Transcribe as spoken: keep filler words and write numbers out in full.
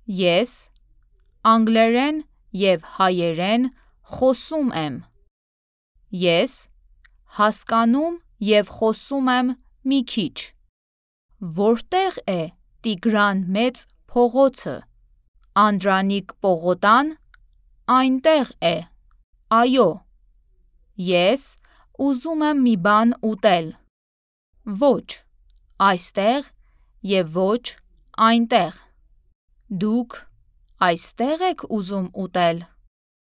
Ես անգլերեն և հայերեն խոսում եմ։ Ես հասկանում և խոսում եմ մի քիչ։ Որտե՞ղ է Տիգրան Մեծ փողոցը։ Անդրանիկ պողոտան այնտեղ է։ Այո։ Ես ուզում եմ մի բան ուտել։ Ոչ այստեղ և ոչ այնտեղ։ Դուք այստե՞ղ եք ուզում ուտել։